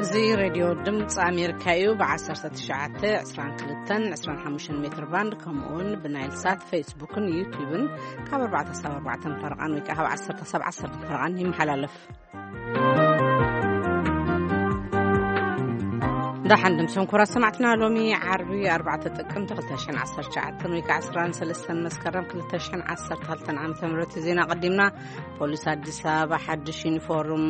እዚ ሬድዮ ድምፂ ኣሜሪካ እዩ። ብ1922-25 ሜትር ባንድ፣ ከምኡውን ብናይል ሳት፣ ፌስቡክን ዩቲዩብን ካብ ኣርባዕተ ክሳብ ኣርባዕተ ፈረቓን ወይ ከዓ ካብ ዓሰርተ ክሳብ ዓሰርተ ፈረቓን ይመሓላለፍ። ዳሓን ድምሶም ኩራ ሰማዕትና፣ ሎሚ ዓርቢ ኣርባዕተ ጥቅምቲ ክልተ ሽሕን ዓሰርተ ትሽዓተን ወይ ከዓ ዕስራን ሰለስተን መስከረም ክልተ ሽሕን ዓሰርተ ክልተን ዓመተ ምህረት ዜና ቀዲምና። ፖሊስ ኣዲስ ኣበባ ሓድሽ ዩኒፎርም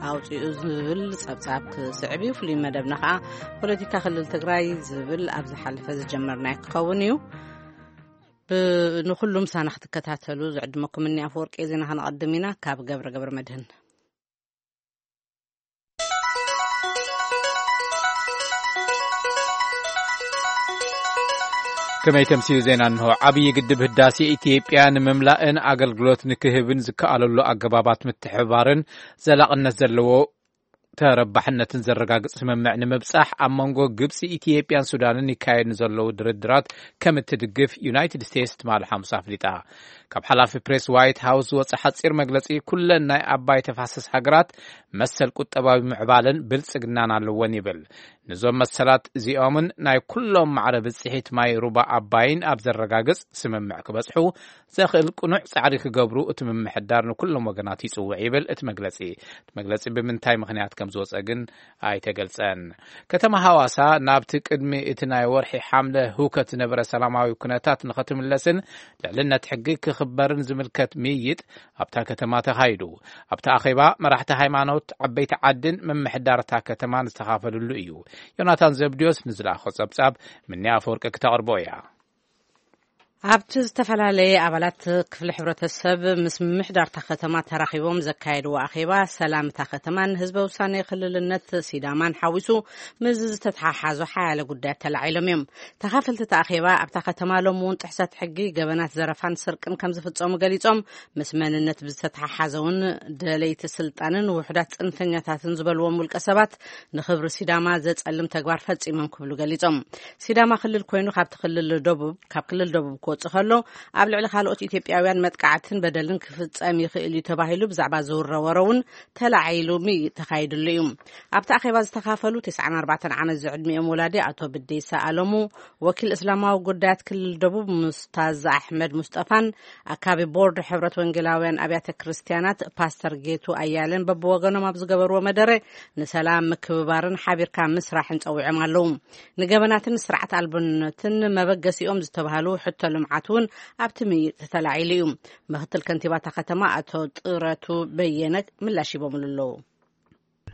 ኣውፂኡ ዝብል ጸብጻብ ክስዕብ እዩ። ፍሉይ መደብና ከዓ ፖለቲካ ክልል ትግራይ ዝብል ኣብ ዝሓለፈ ዝጀመርናዮ ክኸውን እዩ። ብ-፣ ንኹሉም ሳና ክትከታተሉ ዝዕድመኩም እኒ ኣፈወርቂ። ዜና ከነቐድም ኢና ካብ ገብረ ገብረ መድህን። ከመይ ተምስዩ ዜና እንሆ። ዓብዪ ግድብ ህዳሴ ኢትዮጵያ ንምምላእን ኣገልግሎት ንክህብን ዝከኣለሉ ኣገባባት ምትሕብባርን ዘላቕነት ዘለዎ ተረባሕነትን ዘረጋግጽ ስምምዕ ንምብጻሕ ኣብ መንጎ ግብጺ፣ ኢትዮጵያን ሱዳንን ይካየድ ንዘለዉ ድርድራት ከም እትድግፍ ዩናይትድ ስቴትስ ትማሊ ሓሙስ ኣፍሊጣ። ካብ ሓላፊ ፕሬስ ዋይት ሃውስ ዝወጸ ሓጺር መግለጺ፣ ኩለን ናይ ኣባይ ተፋሰስ ሃገራት መሰል ቁጠባዊ ምዕባለን ብልጽግናን ኣለወን ይብል። ንዞም መሰላት እዚኦምን ናይ ኩሎም ማዕረ ብጽሒት ማይ ሩባ ኣባይን ኣብ ዘረጋግጽ ስምምዕ ክበጽሑ ዘኽእል ቅኑዕ ጻዕሪ ክገብሩ እቲ ምምሕዳር ንኩሎም ወገናት ይጽውዕ ይብል እቲ መግለጺ። እቲ መግለጺ ብምንታይ ምኽንያት ከም ዝወጸ ግን ኣይተገልጸን። ከተማ ሃዋሳ ናብቲ ቅድሚ እቲ ናይ ወርሒ ሓምለ ህውከት ዝነበረ ሰላማዊ ኩነታት ንኸትምለስን ልዕልነት ሕጊ ክኽበርን ዝምልከት ምይይጥ ኣብታ ከተማ ተኻይዱ። ኣብቲ ኣኼባ መራሕቲ ሃይማኖት፣ ዓበይቲ ዓድን ምምሕዳርታ ከተማን ዝተኻፈልሉ እዩ። ዮናታን ዘብድዮስ ንዝለኣኾ ጸብጻብ ምኒ ኣፈወርቂ ክተቕርቦ እያ። ኣብቲ ዝተፈላለየ ኣባላት ክፍሊ ሕብረተሰብ ምስ ምምሕዳርታ ከተማ ተራኺቦም ዘካየድዎ ኣኼባ፣ ሰላም እታ ከተማን ህዝበ ውሳኔ ክልልነት ሲዳማን ሓዊሱ ምስ ዝተተሓሓዙ ሓያለ ጉዳያት ተላዒሎም እዮም። ተኻፈልቲ እቲ ኣኼባ ኣብታ ከተማ ሎሚ እውን ጥሕሰት ሕጊ፣ ገበናት ዘረፋን ስርቅን ከም ዝፍጸሙ ገሊጾም፣ ምስ መንነት ብዝተተሓሓዘ እውን ደለይቲ ስልጣንን ውሑዳት ጽንፈኛታትን ዝበልዎም ውልቀ ሰባት ንኽብሪ ሲዳማ ዘጸልም ተግባር ፈጺሞም ክብሉ ገሊጾም። ሲዳማ ክልል ኮይኑ ካብቲ ክልል ደቡብ፣ ካብ ክልል ደቡብ ክወጽእ ከሎ፣ ኣብ ልዕሊ ካልኦት ኢትዮጵያውያን መጥቃዕትን በደልን ክፍጸም ይኽእል እዩ ተባሂሉ ብዛዕባ ዝውረ ወረ እውን ተላዒሉ ምይይጥ ተኻይድሉ እዩ። ኣብቲ ኣኼባ ዝተኻፈሉ ተስዓን ኣርባዕተን ዓመት ዝዕድሚኦም ወላዲ ኣቶ ብዴሳ ኣለሙ፣ ወኪል እስላማዊ ጉዳያት ክልል ደቡብ ሙስታዝ ኣሕመድ ሙስጠፋን፣ ኣካቢ ቦርድ ሕብረት ወንጌላውያን ኣብያተ ክርስቲያናት ፓስተር ጌቱ ኣያለን በብወገኖም ኣብ ዝገበርዎ መደረ፣ ንሰላም ምክብባርን ሓቢርካ ምስራሕን ጸዊዖም ኣለዉ። ንገበናትን ስርዓት ኣልቦነትን መበገሲኦም ዝተባህሉ ሕቶ ልምዓት እውን ኣብቲ ምይይጥ ተላዒሉ እዩ። ምክትል ከንቲባ እታ ከተማ ኣቶ ጥረቱ በየነ ምላሽ ሂቦምሉ ኣለዉ።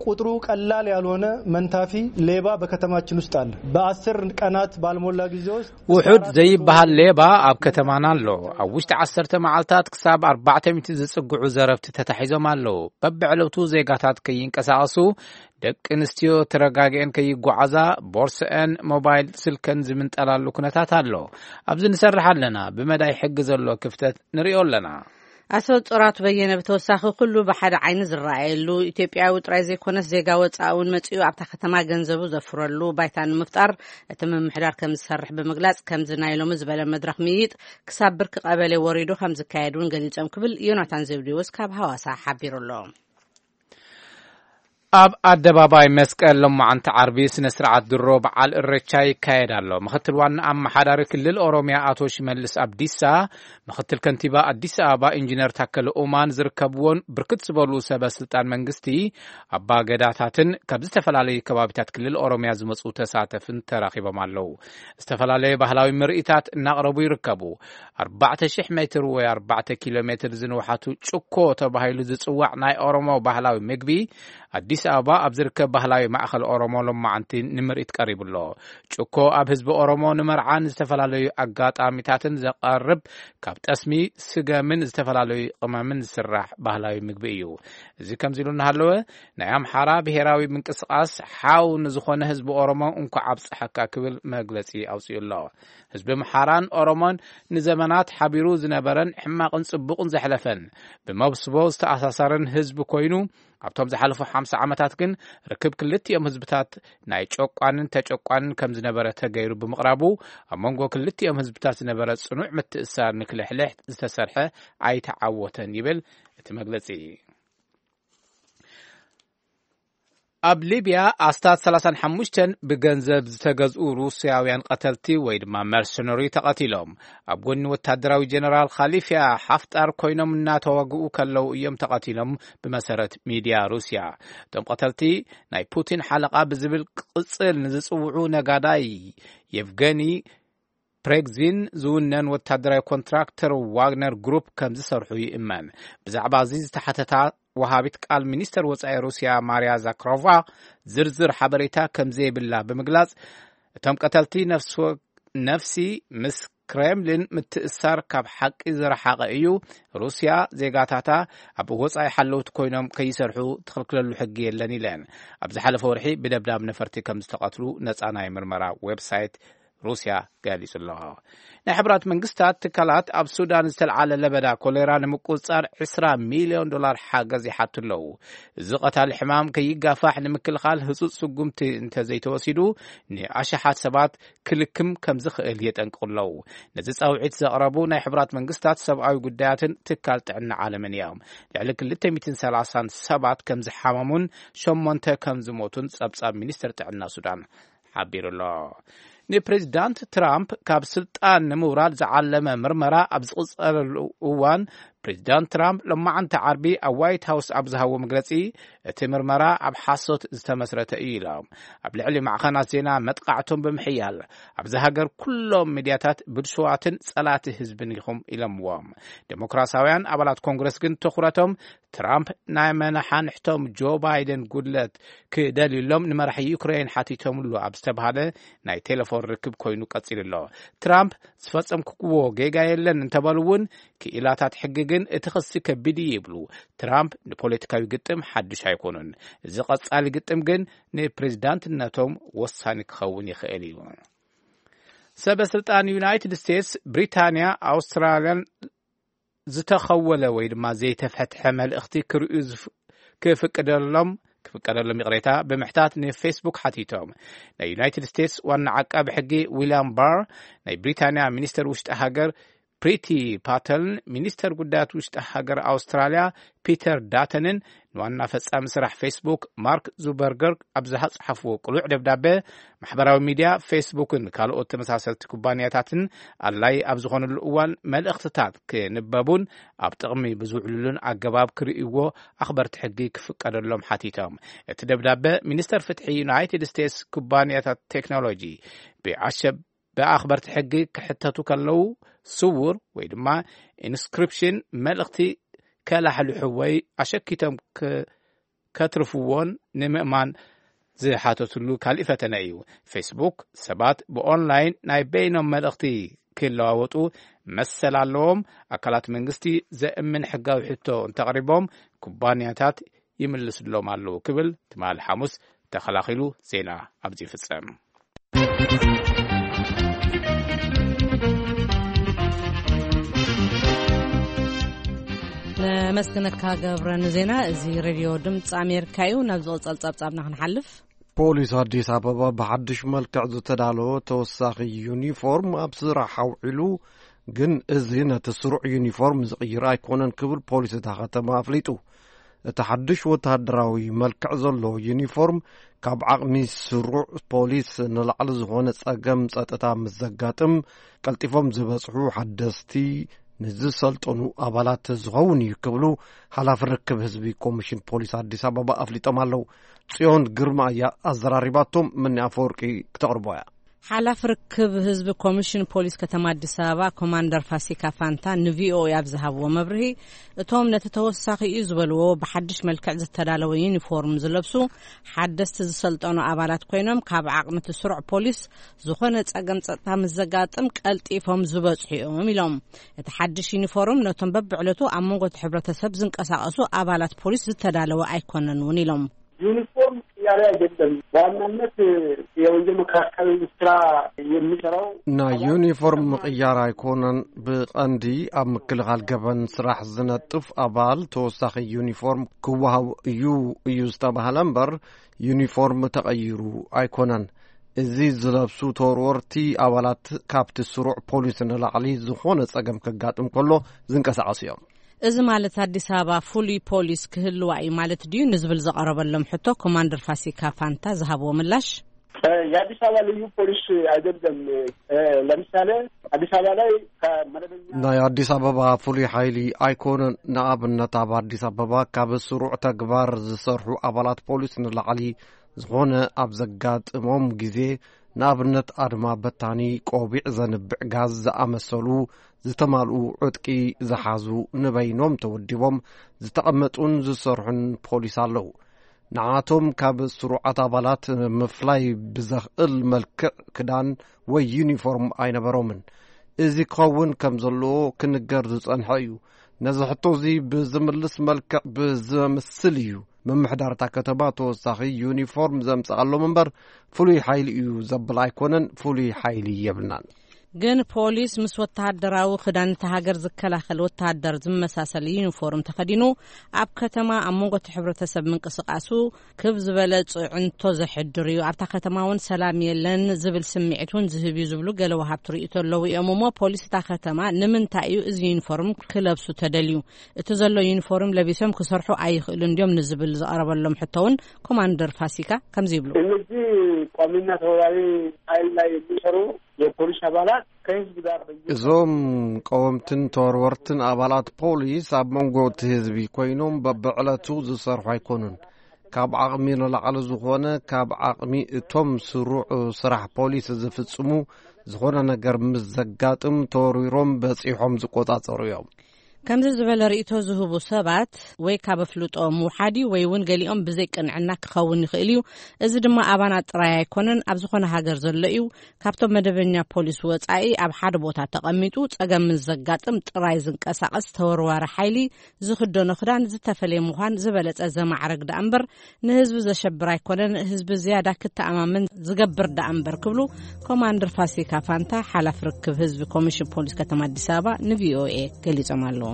ቁጥሩ ቀላል ያልሆነ መንታፊ ሌባ በከተማችን ውስጥ አለ። በአስር ቀናት ባልሞላ ጊዜ ውስጥ ውሑድ ዘይበሃል ሌባ ኣብ ከተማና ኣሎ። ኣብ ውሽጢ ዓሰርተ መዓልታት ክሳብ ኣርባዕተ ሚእቲ ዝጽግዑ ዘረፍቲ ተታሒዞም ኣለዉ። በብዕለቱ ዜጋታት ከይንቀሳቐሱ፣ ደቂ ኣንስትዮ ተረጋጊአን ከይጓዓዛ፣ ቦርሰአን ሞባይል ስልከን ዝምንጠላሉ ኩነታት ኣሎ። ኣብዚ ንሰርሕ ኣለና። ብመዳይ ሕጊ ዘሎ ክፍተት ንሪኦ ኣለና። ኣቶ ጥራቱ በየነ ብተወሳኺ፣ ኩሉ ብሓደ ዓይኒ ዝረኣየሉ፣ ኢትዮጵያዊ ጥራይ ዘይኮነስ ዜጋ ወፃኢ እውን መፂኡ ኣብታ ከተማ ገንዘቡ ዘፍረሉ ባይታ ንምፍጣር እቲ ምምሕዳር ከም ዝሰርሕ ብምግላፅ፣ ከምዚ ናይ ሎሚ ዝበለ መድረኽ ምይይጥ ክሳብ ብርኪ ቀበሌ ወሪዱ ከም ዝካየድ እውን ገሊፆም ክብል ዮናታን ዘብዴዎስ ካብ ሃዋሳ ሓቢሩ ኣሎ። ኣብ ኣደባባይ መስቀል ሎማዓንቲ ዓርቢ ስነ ስርዓት ድሮ በዓል እሬቻ ይካየድ ኣሎ። ምክትል ዋና ኣመሓዳሪ ክልል ኦሮሚያ ኣቶ ሽመልስ ኣብዲሳ፣ ምክትል ከንቲባ ኣዲስ ኣበባ ኢንጂነር ታከለ ኡማን ዝርከብዎን ብርክት ዝበሉ ሰበ ስልጣን መንግስቲ፣ ኣባ ገዳታትን ካብ ዝተፈላለዩ ከባቢታት ክልል ኦሮሚያ ዝመፁ ተሳተፍን ተራኺቦም ኣለዉ። ዝተፈላለዩ ባህላዊ ምርኢታት እናቕረቡ ይርከቡ። ኣርባዕተ ሽሕ ሜትር ወይ ኣርባዕተ ኪሎ ሜትር ዝንውሓቱ ጭኮ ተባሂሉ ዝጽዋዕ ናይ ኦሮሞ ባህላዊ ምግቢ፣ ኣዲስ ኣበባ ኣብ ዝርከብ ባህላዊ ማእኸል ኦሮሞ ሎማዓንቲ ንምርኢት ቀሪቡ ኣሎ። ጭኮ ኣብ ህዝቢ ኦሮሞ ንመርዓን ዝተፈላለዩ ኣጋጣሚታትን ዘቐርብ፣ ካብ ጠስሚ፣ ስገምን ዝተፈላለዩ ቅመምን ዝስራሕ ባህላዊ ምግቢ እዩ። እዚ ከምዚ ኢሉ እናሃለወ፣ ናይ ኣምሓራ ብሄራዊ ምንቅስቓስ ሓው ንዝኾነ ህዝቢ ኦሮሞ እንኳዕ ኣብፀሐካ ክብል መግለፂ ኣውፂኡ ኣሎ። ህዝቢ ኣምሓራን ኦሮሞን ንዘመናት ሓቢሩ ዝነበረን ሕማቕን ጽቡቕን ዘሕለፈን፣ ብመብስቦ ዝተኣሳሰረን ህዝቢ ኮይኑ፣ ኣብቶም ዝሓለፉ ሓምሳ ዓመታት ግን ርክብ ክልቲኦም ህዝብታት ናይ ጨቋንን ተጨቋንን ከም ዝነበረ ተገይሩ ብምቕራቡ፣ ኣብ መንጎ ክልቲኦም ህዝብታት ዝነበረ ጽኑዕ ምትእስሳር ንክልሕልሕ ዝተሰርሐ ኣይተዓወተን ይብል እቲ መግለጺ። ኣብ ሊብያ ኣስታት ሰላሳን ሓሙሽተን ብገንዘብ ዝተገዝኡ ሩስያውያን ቀተልቲ ወይ ድማ መርሰነሪ ተቐቲሎም። ኣብ ጎኒ ወታደራዊ ጀነራል ኻሊፍያ ሓፍጣር ኮይኖም እናተዋግኡ ከለዉ እዮም ተቐቲሎም፣ ብመሰረት ሚድያ ሩስያ። እቶም ቀተልቲ ናይ ፑቲን ሓለቓ ብዝብል ቅጽል ንዝጽውዑ ነጋዳይ የቭገኒ ፕሬግዚን ዝውነን ወታደራዊ ኮንትራክተር ዋግነር ግሩፕ ከም ዝሰርሑ ይእመን። ብዛዕባ እዚ ዝተሓተታ ወሃቢት ቃል ሚኒስተር ወጻኢ ሩስያ ማርያ ዛክሮቫ ዝርዝር ሓበሬታ ከም ዘይብላ ብምግላጽ፣ እቶም ቀተልቲ ነፍሲ ወ-፣ ነፍሲ ምስ ክሬምሊን ምትእሳር ካብ ሓቂ ዝረሓቐ እዩ። ሩስያ ዜጋታታ ኣብ ወጻኢ ሓለውቲ ኮይኖም ከይሰርሑ ትኽልክለሉ ሕጊ የለን ኢለን። ኣብ ዝሓለፈ ወርሒ ብደብዳብ ነፈርቲ ከም ዝተቐትሉ ነጻ ናይ ምርመራ ዌብሳይት ሩስያ ገሊጹ ኣሎ። ናይ ሕብራት መንግስታት ትካላት ኣብ ሱዳን ዝተልዓለ ለበዳ ኮሌራ ንምቁጽጻር ዕስራ ሚልዮን ዶላር ሓገዝ ይሓቱ ኣለዉ። እዚ ቀታሊ ሕማም ከይጋፋሕ ንምክልኻል ህጹጽ ስጉምቲ እንተዘይተወሲዱ፣ ንኣሽሓት ሰባት ክልክም ከም ዝኽእል የጠንቅቑ ኣለዉ። ነዚ ጻውዒት ዘቕረቡ ናይ ሕብራት መንግስታት ሰብኣዊ ጉዳያትን ትካል ጥዕና ዓለምን እዮም። ልዕሊ ክልተ ሚእትን ሰላሳን ሰባት ከም ዝሓመሙን ሸሞንተ ከም ዝሞቱን ጸብጻብ ሚኒስተር ጥዕና ሱዳን ሓቢሩ ኣሎ። ንፕሬዚዳንት ትራምፕ ካብ ስልጣን ንምውራድ ዝዓለመ ምርመራ ኣብ ዝቕጸለሉ እዋን፣ ፕሬዚዳንት ትራምፕ ሎማዓንቲ ዓርቢ ኣብ ዋይት ሃውስ ኣብ ዝሃቦ መግለጺ፣ እቲ ምርመራ ኣብ ሓሶት ዝተመስረተ እዩ ኢሎም። ኣብ ልዕሊ ማዕኸናት ዜና መጥቃዕቶም ብምሕያል፣ ኣብዚ ሃገር ኩሎም ሚድያታት ብልሹዋትን ጸላቲ ህዝብን ኢኹም ኢሎምዎም። ዴሞክራሳውያን ኣባላት ኮንግረስ ግን ትኹረቶም ትራምፕ ናይ መናሓንሕቶም ጆ ባይደን ጉድለት ክደልዩሎም ንመራሒ ዩክሬን ሓቲቶምሉ ኣብ ዝተባሃለ ናይ ቴሌፎን ርክብ ኮይኑ ቀጺሉ ኣሎ። ትራምፕ ዝፈጸምክዎ ጌጋ የለን እንተበሉ እውን፣ ክኢላታት ሕጊ ግን እቲ ክሲ ከቢድ እዩ ይብሉ። ትራምፕ ንፖለቲካዊ ግጥም ሓድሽ ኣይኮኑን። እዚ ቀጻሊ ግጥም ግን ንፕሬዚዳንትነቶም ወሳኒ ክኸውን ይኽእል እዩ። ሰበ ስልጣን ዩናይትድ ስቴትስ፣ ብሪታንያ፣ ኣውስትራልያን ዝተኸወለ ወይ ድማ ዘይተፈትሐ መልእኽቲ ክርእዩ ዝፍ-፣ ክፍቅደሎም፣ ክፍቀደሎም ይቕሬታ ብምሕታት ንፌስቡክ ሓቲቶም። ናይ ዩናይትድ ስቴትስ ዋና ዓቃቢ ሕጊ ዊልያም ባር፣ ናይ ብሪታንያ ሚኒስተር ውሽጢ ሃገር ፕሪቲ ፓተልን ሚኒስተር ጉዳያት ውሽጢ ሃገር ኣውስትራልያ ፒተር ዳተንን ንዋና ፈጻሚ ስራሕ ፌስቡክ ማርክ ዙበርገርግ ኣብ ዝጸሓፍዎ ቅሉዕ ደብዳበ፣ ማሕበራዊ ሚድያ ፌስቡክን ካልኦት ተመሳሰልቲ ኩባንያታትን ኣድላይ ኣብ ዝኾነሉ እዋን መልእኽትታት ክንበቡን ኣብ ጥቕሚ ብዝውዕሉሉን ኣገባብ ክርእይዎ ኣኽበርቲ ሕጊ ክፍቀደሎም ሓቲቶም። እቲ ደብዳበ ሚኒስተር ፍትሒ ዩናይትድ ስቴትስ ኩባንያታት ቴክኖሎጂ ብኣሸ-፣ ብኣኽበርቲ ሕጊ ክሕተቱ ከለዉ ስውር ወይ ድማ ኢንስክሪፕሽን መልእኽቲ ከላሕልሑ ወይ ኣሸኪቶም ክ-፣ ከትርፍዎን ንምእማን ዝሓተትሉ ካልእ ፈተነ እዩ። ፌስቡክ ሰባት ብኦንላይን ናይ በይኖም መልእኽቲ ክለዋወጡ መሰል ኣለዎም። ኣካላት መንግስቲ ዘእምን ሕጋዊ ሕቶ እንተቕሪቦም ኩባንያታት ይምልስሎም ኣለዉ ክብል ትማሊ ሓሙስ ተኸላኺሉ ዜና ኣብዚ ይፍጸም። ነመስግነካ ገብረ ንዜና። እዚ ሬድዮ ድምፂ ኣሜሪካ እዩ። ናብ ዝቕጸል ጸብጻብና ክንሓልፍ። ፖሊስ ኣዲስ ኣበባ ብሓድሽ መልክዕ ዝተዳለወ ተወሳኺ ዩኒፎርም ኣብ ስራሕ ኣውዒሉ፣ ግን እዚ ነቲ ስሩዕ ዩኒፎርም ዝቕይር ኣይኮነን ክብል ፖሊስ እታ ከተማ ኣፍሊጡ። እቲ ሓድሽ ወተሃደራዊ መልክዕ ዘለዎ ዩኒፎርም ካብ ዓቕሚ ስሩዕ ፖሊስ ንላዕሊ ዝኾነ ጸገም ጸጥታ ምስ ዘጋጥም፣ ቀልጢፎም ዝበጽሑ ሓደስቲ ንዝሰልጠኑ ኣባላት ዝኸውን እዩ ክብሉ ሓላፊ ርክብ ህዝቢ ኮሚሽን ፖሊስ ኣዲስ ኣበባ ኣፍሊጦም ኣለዉ። ጽዮን ግርማ እያ ኣዘራሪባቶም፣ ምኒ ኣፈወርቂ ክተቕርቦ እያ። ሓላፊ ርክብ ህዝቢ ኮሚሽን ፖሊስ ከተማ ኣዲስ ኣበባ ኮማንደር ፋሲካ ፋንታ ንቪኦኤ ኣብ ዝሃብዎ መብርሂ፣ እቶም ነቲ ተወሳኺ እዩ ዝበልዎ ብሓድሽ መልክዕ ዝተዳለወ ዩኒፎርም ዝለብሱ ሓደስቲ ዝሰልጠኑ ኣባላት ኮይኖም፣ ካብ ዓቕሚ እቲ ስሩዕ ፖሊስ ዝኾነ ጸገም ጸጥታ ምስ ዘጋጥም ቀልጢፎም ዝበጽሑ እዮም ኢሎም። እቲ ሓድሽ ዩኒፎርም ነቶም በብዕለቱ ኣብ መንጎ እቲ ሕብረተሰብ ዝንቀሳቐሱ ኣባላት ፖሊስ ዝተዳለወ ኣይኮነን እውን ኢሎም። ዩኒፎርም ቅያሬ አይደለም። በዋናነት የወንጀል መከላከል ስራ የሚሰራው ናይ ዩኒፎርም ምቕያር ኣይኮነን። ብቐንዲ ኣብ ምክልኻል ገበን ስራሕ ዝነጥፍ ኣባል ተወሳኺ ዩኒፎርም ክወሃብ እዩ፣ እዩ ዝተባህለ እምበር፣ ዩኒፎርም ተቐይሩ ኣይኮነን። እዚ ዝለብሱ ተወርወርቲ ኣባላት ካብቲ ስሩዕ ፖሊስ ንላዕሊ ዝኾነ ጸገም ከጋጥም ከሎ ዝንቀሳቐሱ እዮም። እዚ ማለት ኣዲስ ኣበባ ፍሉይ ፖሊስ ክህልዋ እዩ ማለት ድዩ ንዝብል ዘቐረበሎም ሕቶ ኮማንደር ፋሲካ ፋንታ ዝሃብዎ ምላሽ፣ እ፣ የአዲስ አበባ ልዩ ፖሊስ አይደለም፣ እ፣ ለምሳሌ አዲስ አበባ ላይ ከመደበኛ ናይ ኣዲስ ኣበባ ፍሉይ ሓይሊ ኣይኮነን። ንኣብነት ኣብ ኣዲስ ኣበባ ካብ ስሩዕ ተግባር ዝሰርሑ ኣባላት ፖሊስ ንላዕሊ ዝኾነ ኣብ ዘጋጥሞም ግዜ፣ ንኣብነት ኣድማ በታኒ፣ ቆቢዕ ዘንብዕ ጋዝ ዝኣመሰሉ ዝተማልኡ ዕጥቂ ዝሓዙ ንበይኖም ተወዲቦም ዝተቐመጡን ዝሰርሑን ፖሊስ ኣለዉ። ንዓቶም ካብ ስሩዓት ኣባላት ምፍላይ ብዘኽእል መልክዕ ክዳን ወይ ዩኒፎርም ኣይነበሮምን። እዚ ክኸውን ከም ዘለዎ ክንገር ዝጸንሐ እዩ። ነዚ ሕቶ እዚ ብዝምልስ መልክዕ ብዘምስል እዩ ምምሕዳር እታ ከተማ ተወሳኺ ዩኒፎርም ዘምጽኣሎም እምበር፣ ፍሉይ ሓይሊ እዩ ዘብል ኣይኮነን። ፍሉይ ሓይሊ የብልናን። ግን ፖሊስ ምስ ወተሃደራዊ ክዳን እታ ሃገር ዝከላኸል ወተሃደር ዝመሳሰል ዩኒፎርም ተኸዲኑ ኣብ ከተማ ኣብ መንጎ እቲ ሕብረተሰብ ምንቅስቃሱ ክብ ዝበለ ጽዕንቶ ዘሕድር እዩ። ኣብታ ከተማ እውን ሰላም የለን ዝብል ስምዒት እውን ዝህብ እዩ ዝብሉ ገለ ወሃብቲ ርእይቶ ኣለዉ እዮም። እሞ ፖሊስ እታ ከተማ ንምንታይ እዩ እዚ ዩኒፎርም ክለብሱ ተደልዩ? እቲ ዘሎ ዩኒፎርም ለቢሶም ክሰርሑ ኣይኽእሉን ድዮም ንዝብል ዝቐረበሎም ሕቶ እውን ኮማንደር ፋሲካ ከምዚ ይብሉ። እነዚህ ቋሚና ተወርዋሪ ኃይል ላይ የሚሰሩ የፖሊስ አባላት ከህዝብ ጋር በየ- እዞም ቀወምትን ተወርወርትን ኣባላት ፖሊስ ኣብ መንጎ እቲ ህዝቢ ኮይኖም በብዕለቱ ዝሰርሑ ኣይኮኑን። ካብ ዓቕሚ ንላዕሊ ዝኾነ፣ ካብ ዓቕሚ እቶም ስሩዕ ስራሕ ፖሊስ ዝፍጽሙ ዝኾነ ነገር ምስ ዘጋጥም ተወርዊሮም በጺሖም ዝቆጻጸሩ እዮም። ከምዚ ዝበለ ርእይቶ ዝህቡ ሰባት ወይ ካብ ኣፍልጦ ምውሓድ እዩ ወይ እውን ገሊኦም ብዘይ ቅንዕና ክኸውን ይኽእል እዩ። እዚ ድማ ኣባና ጥራይ ኣይኮነን፣ ኣብ ዝኾነ ሃገር ዘሎ እዩ። ካብቶም መደበኛ ፖሊስ ወጻኢ ኣብ ሓደ ቦታ ተቐሚጡ ጸገም ምስ ዘጋጥም ጥራይ ዝንቀሳቐስ ተወርዋሪ ሓይሊ ዝኽደኖ ክዳን ዝተፈለየ ምዃን ዝበለጸ ዘማዕረግ ደኣ እምበር ንህዝቢ ዘሸብር ኣይኮነን፣ ህዝቢ ዝያዳ ክተኣማመን ዝገብር ደኣ እምበር ክብሉ ኮማንደር ፋሲካ ፋንታ ሓላፊ ርክብ ህዝቢ ኮሚሽን ፖሊስ ከተማ ኣዲስ ኣበባ ንቪኦኤ ገሊጾም ኣለዉ።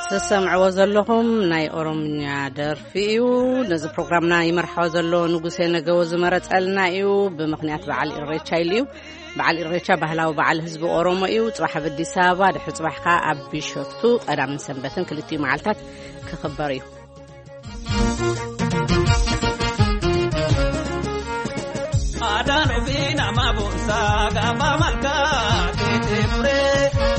ትሰምዕዎ ዘለኹም ናይ ኦሮምኛ ደርፊ እዩ። ነዚ ፕሮግራምና ይመርሖ ዘሎ ንጉሴ ነገዎ ዝመረጸልና እዩ። ብምኽንያት በዓል ኢሬቻ ኢሉ እዩ። በዓል ኢሬቻ ባህላዊ በዓል ህዝቢ ኦሮሞ እዩ። ጽባሕ ኣብ ኣዲስ ኣበባ፣ ድሕሪ ጽባሕ ከኣ ኣብ ቢሾፍቱ ቀዳምን ሰንበትን ክልቲኡ መዓልታት ክኽበር እዩ። Adaan ofii nama boonsaa gaafa malkaa keettee ture.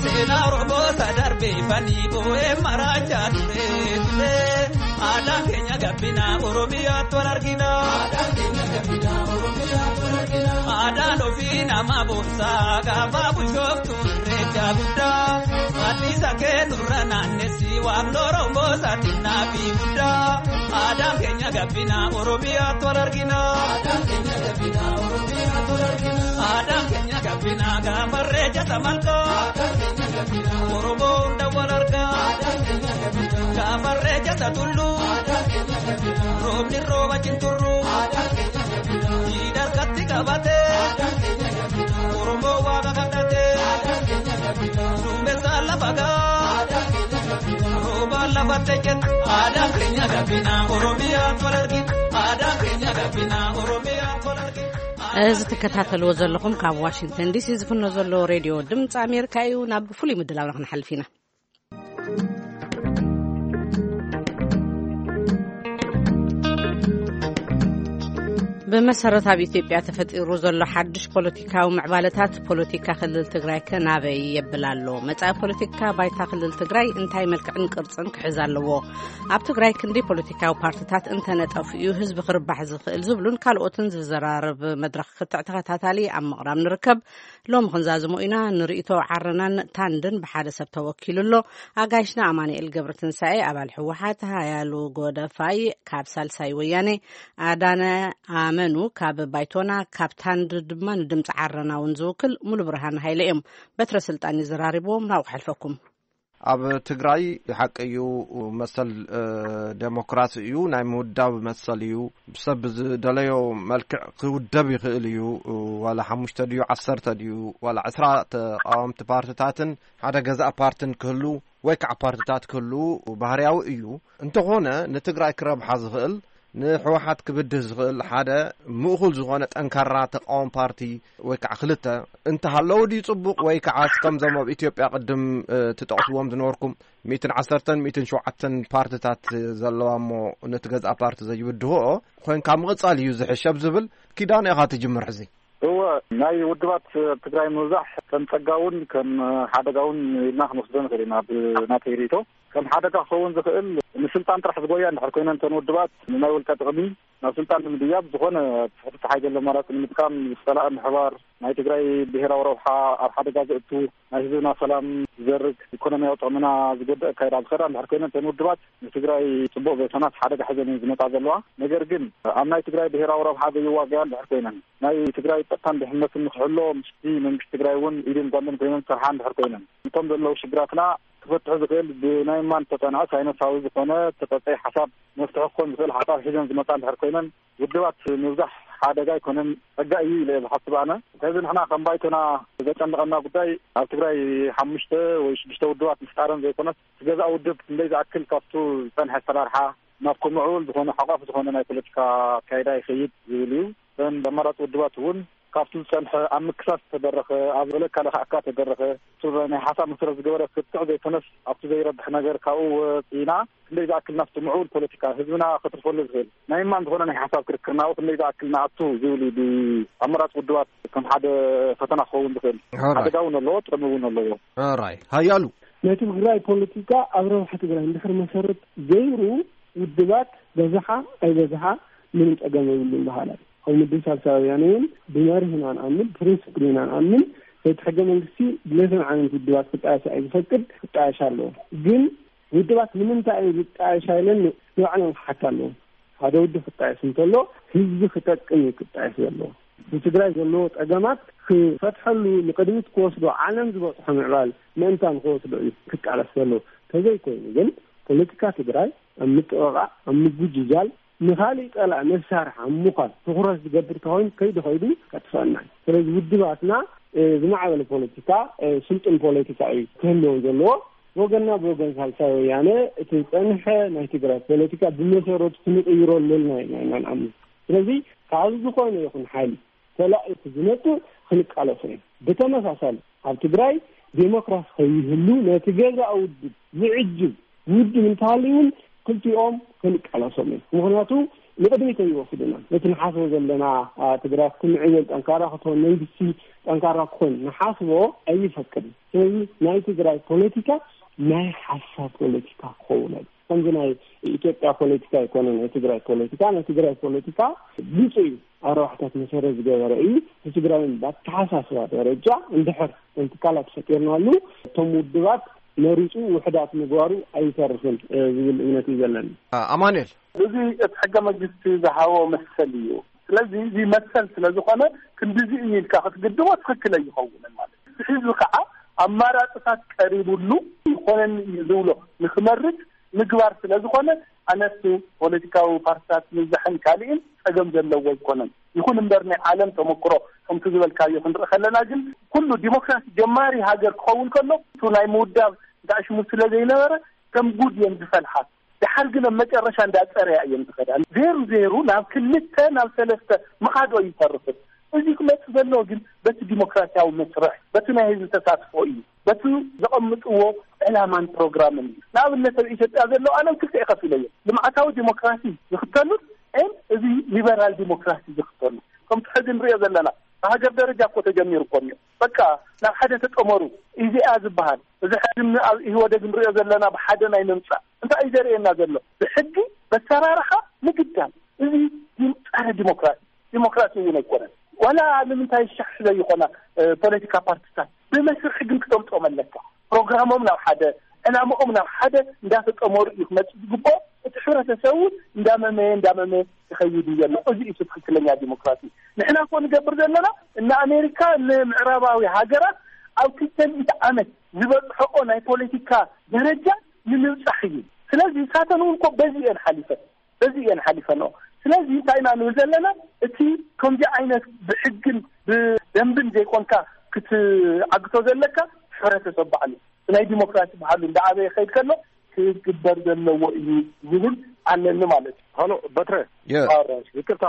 Seenaa Oromoo isa darbee fanii boo'ee maraacha ture ture. Adaan keenya gabbina Oromiyaatti wal argina. Adaan ofii nama boonsaa gaafa bulchooftu irreecha guddaa. Anniisa kee nurra naannessi waan Oromoo saaxinnaa fi guddaa. Aadaan keenya gabbina Oromiyaatti wal argina. Aadaan keenya gabbina gaafarree jata malkaa. Oromoo hunda wal argaa. Gaafarree jata tulluu. Roobni rooba cinturruu. Jiidharkatti qabatee. Oromoo waaqa kadhatee. Duumessaa lafa gaa. Roobaan lafatti ejjeta. Aadaan keenya gabbina Oromiyaa tola argina. Aadaan keenya gabbina Oromiyaa tola argina. እዚ ትከታተልዎ ዘለኹም ካብ ዋሽንግተን ዲሲ ዝፍኖ ዘሎ ሬድዮ ድምፂ ኣሜሪካ እዩ። ናብ ፍሉይ ምድላውና ክንሓልፍ ኢና። ብመሰረት ኣብ ኢትዮጵያ ተፈጢሩ ዘሎ ሓድሽ ፖለቲካዊ ምዕባለታት፣ ፖለቲካ ክልል ትግራይ ከ ናበይ የብል ኣሎ? መጻኢ ፖለቲካ ባይታ ክልል ትግራይ እንታይ መልክዕን ቅርጽን ክሕዝ ኣለዎ? ኣብ ትግራይ ክንደይ ፖለቲካዊ ፓርትታት እንተነጠፉ እዩ ህዝቢ ክርባሕ ዝኽእል? ዝብሉን ካልኦትን ዝዘራረብ መድረኽ ክትዕ ተኸታታሊ ኣብ ምቕራብ ንርከብ። ሎሚ ክንዛዝሞ ኢና። ንርእይቶ ዓረናን ታንድን ብሓደ ሰብ ተወኪሉ ኣሎ። ኣጋይሽና ኣማኑኤል ገብረትንሳኤ፣ ኣባል ህወሓት፣ ሃያሉ ጎደፋይ ካብ ሳልሳይ ወያኔ፣ ኣዳነ ኣመኑ ካብ ባይቶና፣ ካብ ታንድ ድማ ንድምፂ ዓረና እውን ዝውክል ሙሉ ብርሃን ሃይለ እዮም። በትረ ስልጣን ይዘራርብዎም፣ ናብኡ ክሓልፈኩም። ኣብ ትግራይ ሓቂ እዩ፣ መሰል፣ እ፣ ዴሞክራሲ እዩ፣ ናይ ምውዳብ መሰል እዩ። ሰብ ብዝደለዮ መልክዕ ክውደብ ይኽእል እዩ። ዋላ ሓሙሽተ ድዩ፣ ዓሰርተ ድዩ፣ ዋላ ዕስራ ተቃወምቲ ፓርትታትን ሓደ ገዛእ ፓርትን ክህሉ ወይ ከዓ ፓርትታት ክህሉ ባህርያዊ እዩ። እንተኾነ ንትግራይ ክረብሓ ዝኽእል፣ ንህወሓት ክብድህ ዝኽእል ሓደ ምእኹል ዝኾነ ጠንካራ ተቃዋሚ ፓርቲ ወይ ከዓ ክልተ እንተሃለዉ ድዩ ጽቡቕ? ወይ ከዓ ከምዞም ኣብ ኢትዮጵያ ቅድም ትጠቕስዎም ዝነበርኩም ሚእትን ዓሰርተን ሚእትን ሸውዓተን ፓርትታት ዘለዋ እሞ ነቲ ገዝኣ ፓርቲ ዘይብድህኦ ኮይንካ ምቕጻል እዩ ዝሕሸብ ዝብል ኪዳን ኢኻ ትጅምር ሕዚ። እወ፣ ናይ ውድባት ኣብ ትግራይ ምብዛሕ ከም ጸጋ እውን ከም ሓደጋ እውን ኢልና ክንወስዶ ንኽእል ኢና። ብናተይ ርእይቶ ከም ሓደጋ ክኸውን ዝኽእል፣ ንስልጣን ጥራሕ ዝጎያ እንድሕር ኮይነን እተን ውድባት ንናይ ውልቀ ጥቕሚ ናብ ስልጣን ንምድያብ ዝኾነ ትሕቲ ሓይገለ ኣማራፂ ንምጥቃም ዝፀላእ ምሕባር፣ ናይ ትግራይ ብሄራዊ ረብሓ ኣብ ሓደጋ ዘእቱ፣ ናይ ህዝብና ሰላም ዝዘርግ፣ ኢኮኖሚያዊ ጥቕምና ዝጎድእ ኣካይዳ ዝኸዳ እንድሕር ኮይነን እተን ውድባት ንትግራይ ፅቡቕ ዘይኮናስ ሓደጋ ሒዘን እየን ዝመፃ ዘለዋ። ነገር ግን ኣብ ናይ ትግራይ ብሄራዊ ረብሓ ዘይዋገያ እንድሕር ኮይነን፣ ናይ ትግራይ ፀጥታን ድሕነትን ንክሕሎ ምስቲ መንግስቲ ትግራይ እውን ኢድን ጓንትን ኮይነን ዝሰርሓ እንድሕር ኮይነን፣ እቶም ዘለዉ ሽግራትና ክፈትሑ ዝኽእል ብናይ ማን ተፀንዐ ሳይነሳዊ ዝኾነ ተፀፀይ ሓሳብ መፍትሒ ክኾን ዝኽእል ሓሳብ ሒዘን ዝመፃ እንድሕር ኮይነን፣ ውድባት ምብዛሕ ሓደጋ ኣይኮነን፣ ፀጋ እዩ ኢለ እየ ዝሓስብ ኣነ። ከዚ ንሕና ከም ባይቶና ዘጨንቐና ጉዳይ ኣብ ትግራይ ሓሙሽተ ወይ ሽዱሽተ ውድባት ምፍጣረን ዘይኮነስ፣ እቲ ገዛእ ውድብ ክንደይ ዝኣክል ካብቱ ዝፀንሐ ኣሰራርሓ ናብ ክምዕብል ዝኾነ ሓቋፊ ዝኾነ ናይ ፖለቲካ ኣካይዳ ይኸይድ ዝብል እዩ። እተን ኣማራፂ ውድባት እውን ካብቲ ዝፀንሐ ኣብ ምክሳስ ተደረኸ፣ ኣብ በለካ ለካዕካ ተደረኸ፣ እሱ ናይ ሓሳብ መሰረት ዝገበረ ክትዕ ዘይኮነስ፣ ኣብቲ ዘይረብሕ ነገር ካብኡ ወፂና ክንደይ ዝኣክል ናብቲ ምዕቡል ፖለቲካ ህዝብና ከትርፈሉ ዝኽእል ናይ ማን ዝኾነ ናይ ሓሳብ ክርክር ናብኡ ክንደይ ዝኣክል ንኣቱ ዝብል እዩ። ብኣመራፂ ውድባት ከም ሓደ ፈተና ክኸውን ዝኽእል። ኦራይ። ሓደጋ እውን ኣለዎ፣ ጥቕሚ እውን ኣለዎ። ኦራይ። ሃያሉ። ናይ ትግራይ ፖለቲካ ኣብ ረብሓ ትግራይ እንድሕር መሰረት ገይሩ፣ ውድባት በዝሓ ኣይበዝሓ ምንም ጸገም የብሉን በሃላይ። ከም ውድብ ሳልሳይ ወያነ እውን ብመርህ ኢና ንኣምን፣ ፕሪንስፕል ኢና ንኣምን። እቲ ሕገ መንግስቲ ብለይተን ዓይነት ውድባት ክጣየሳ እዩ ዝፈቅድ፣ ክጣየሽ ኣለዎ። ግን ውድባት ንምንታይ እዩ ዝጣየሻ ኢለን ንባዕለን ክሓታ ኣለዎ። ሓደ ውድብ ክጣየስ እንተሎ ህዝቢ ክጠቅም እዩ ክጣየስ ዘለዎ። ንትግራይ ዘለዎ ጸገማት ክፈትሐሉ፣ ንቅድሚት ክወስዶ፣ ዓለም ዝበጽሖ ምዕባል ምእንታን ክወስዶ እዩ ክቃለስ ዘለዎ። ተዘይኮይኑ ግን ፖለቲካ ትግራይ ኣብ ምጥቕቓዕ፣ ኣብ ምጉጅጃል፣ ንኻሊእ ጸላኢ መሳርሒ ኣብ ምዃን ትኹረት ዝገብር ተኾይኑ ከይዱ ከይዱ ከጥፍአና እዩ። ስለዚ ውድባትና፣ እ፣ ዝማዕበለ ፖለቲካ፣ እ፣ ስልጡን ፖለቲካ እዩ ክህልወን ዘለዎ። ወገንና ብወገን ሳልሳይ ወያነ እቲ ዝጸንሐ ናይ ትግራይ ፖለቲካ ብመሰረቱ ክንቕይሮ ኣለና ኢና ኢና ንኣምን። ስለዚ ካብ ዝኾነ ይኹን ሓይሊ ተላኢኹ ዝመጽእ ክንቃለሶ ኢና። ብተመሳሳሊ ኣብ ትግራይ ዴሞክራሲ ከይህሉ ነቲ ገዛእ ውድብ ዝዕጅብ ውድብ እንተሃልዩ እውን ክልቲኦም ክንቃለሶም ኢና። ምኽንያቱ ንቕድሚት ኣይወስድና። ነቲ ንሓስቦ ዘለና፣ አ፣ ትግራይ ክትምዕብል፣ ጠንካራ ክትኾን፣ መንግስቲ ጠንካራ ክኾን ንሓስቦ ኣይፈቅድን። ስለዚ ናይ ትግራይ ፖለቲካ ናይ ሓሳብ ፖለቲካ ክኸውን ኣሎ። ከምዚ ናይ ኢትዮጵያ ፖለቲካ ኣይኮነን ናይ ትግራይ ፖለቲካ። ናይ ትግራይ ፖለቲካ ብሉጽ እዩ። ኣብ ረብሓታት መሰረት ዝገበረ እዩ። ንትግራይን ብኣተሓሳስባ ደረጃ እንድሕር ከም ትካላት ፈጢርናሉ፣ እቶም ውድባት መሪጹ ውሕዳት ምግባሩ ኣይተርፍን፣ እ፣ ዝብል እምነት እዩ ዘለኒ። አ-፣ ኣማኑኤል። እዚ እቲ ሕገ መንግስቲ ዝሃቦ መሰል እዩ። ስለዚ እዚ መሰል ስለ ዝኾነ ክንዲዚ እዩ ኢልካ ክትግድቦ ትኽክል ኣይኸውንን ማለት እዩ። እቲ ህዝቢ ከዓ ኣማራፅታት ቀሪቡሉ ይኾነኒ እዩ ዝብሎ ንክመርፅ ምግባር ስለ ዝኾነ ኣነሱ ፖለቲካዊ ፓርቲታት ምብዛሕን ካሊእን ፀገም ዘለዎ ኣይኮነን። ይኹን እምበር ናይ ዓለም ተመክሮ ከምቲ ዝበልካዮ ክንርኢ ከለና ግን ኩሉ ዲሞክራሲ ጀማሪ ሃገር ክኸውን ከሎ እቱ ናይ ምውዳብ እንታይ ሽሙ ስለ ዘይነበረ ከም ጉድ እየን ዝፈልሓ። ድሓር ግን ኣብ መጨረሻ እንዳፀረያ እየን ዝኸዳ። ዜሩ ዜሩ ናብ ክልተ ናብ ሰለስተ ምኻዶ ይተርፍን። እዚ ክመፅእ ዘለዎ ግን በቲ ዲሞክራሲያዊ መስርሕ፣ በቲ ናይ ህዝቢ ተሳትፎ እዩ። በቲ ዘቐምጥዎ ዕላማን ፕሮግራምን እዩ። ንኣብነት ኣብ ኢትዮጵያ ዘለዉ ኣነ ኣብ ክልተ እየ ከፊለዮ። ልምዓታዊ ዲሞክራሲ ዝኽተሉን እን እዚ ሊበራል ዲሞክራሲ ዝኽተሉ። ከምቲ ሕዚ ንሪኦ ዘለና ብሃገር ደረጃ እኮ ተጀሚሩ እኮ እኒኦ። በቃ ናብ ሓደ ተጠመሩ። ኢዜኣ ዝበሃል እዚ ሕዚ ን-፣ ኣብ ኢህወደግ ንሪኦ ዘለና ብሓደ ናይ ምምፃእ እንታይ እዩ ዘርእየና ዘሎ? ብሕጊ በሰራርሓ ምግዳል። እዚ ዲም-፣ ጸረ ዲሞክራሲ፣ ዲሞክራሲ እውን ኣይኮነን። ዋላ ንምንታይ ሻሕ ዘይኾና፣ እ፣ ፖለቲካ ፓርቲታት ብመስርሒ ግን ክተምፅኦም ኣለካ። ፕሮግራሞም ናብ ሓደ፣ ዕላምኦም ናብ ሓደ እንዳተጠመሩ እዩ ክመፅእ ዝግብኦ። እቲ ሕብረተሰብ እውን እንዳመመየ እንዳመመየ ይኸይድ እዩ ዘሎ። እዚ እዩ ትክክለኛ ዲሞክራሲ። ንሕና እኮ ንገብር ዘለና እነ ኣሜሪካ እነ ምዕራባዊ ሃገራት ኣብ ክልተ ሚእቲ ዓመት ዝበፅሐኦ ናይ ፖለቲካ ደረጃ ንምብፃሕ እዩ። ስለዚ ሳተን እውን እኮ በዚ እየን ሓሊፈን። በዚ እየን ሓሊፈንኦ። ስለዚ እንታይ ኢና ንብል ዘለና? እቲ ከምዚ ዓይነት ብሕግን ብደንብን ዘይኮንካ ክትዓግቶ ዘለካ ሕብረተሰብ ባዕሉ። ናይ ዲሞክራሲ ባህሉ እንዳዓበየ ይኸይድ ከሎ ክግበር ዘለዎ እዩ ዝብል ኣለኒ ማለት እዩ። ሀሎ በትረ፣ የ- ይቅርታ